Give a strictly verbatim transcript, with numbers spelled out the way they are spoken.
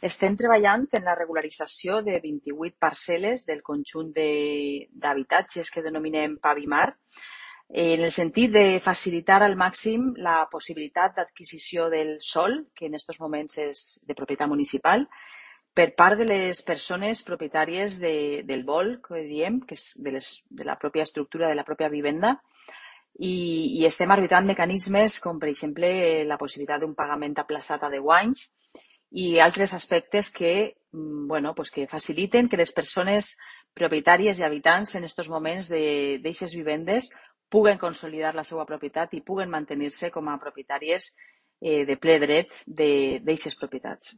Estem treballant en la regularització de vint-i-vuit parcel·les del conjunt d'habitatges que denominem Pavimar, en el sentit de facilitar al màxim la possibilitat d'adquisició del sòl, que en aquests moments és de propietat municipal, per part de les persones propietàries de, del vol, que diem, que és de, les, de la pròpia estructura de la pròpia vivenda, i, i estem arbitrant mecanismes com, per exemple, la possibilitat d'un pagament aplaçat a deu anys i altres aspectes que, bueno, pues que faciliten que les persones propietàries i habitants en aquests moments d'aquestes vivendes puguen consolidar la seva propietat i puguen mantenir-se com a propietàries eh, de ple dret d'aquestes propietats.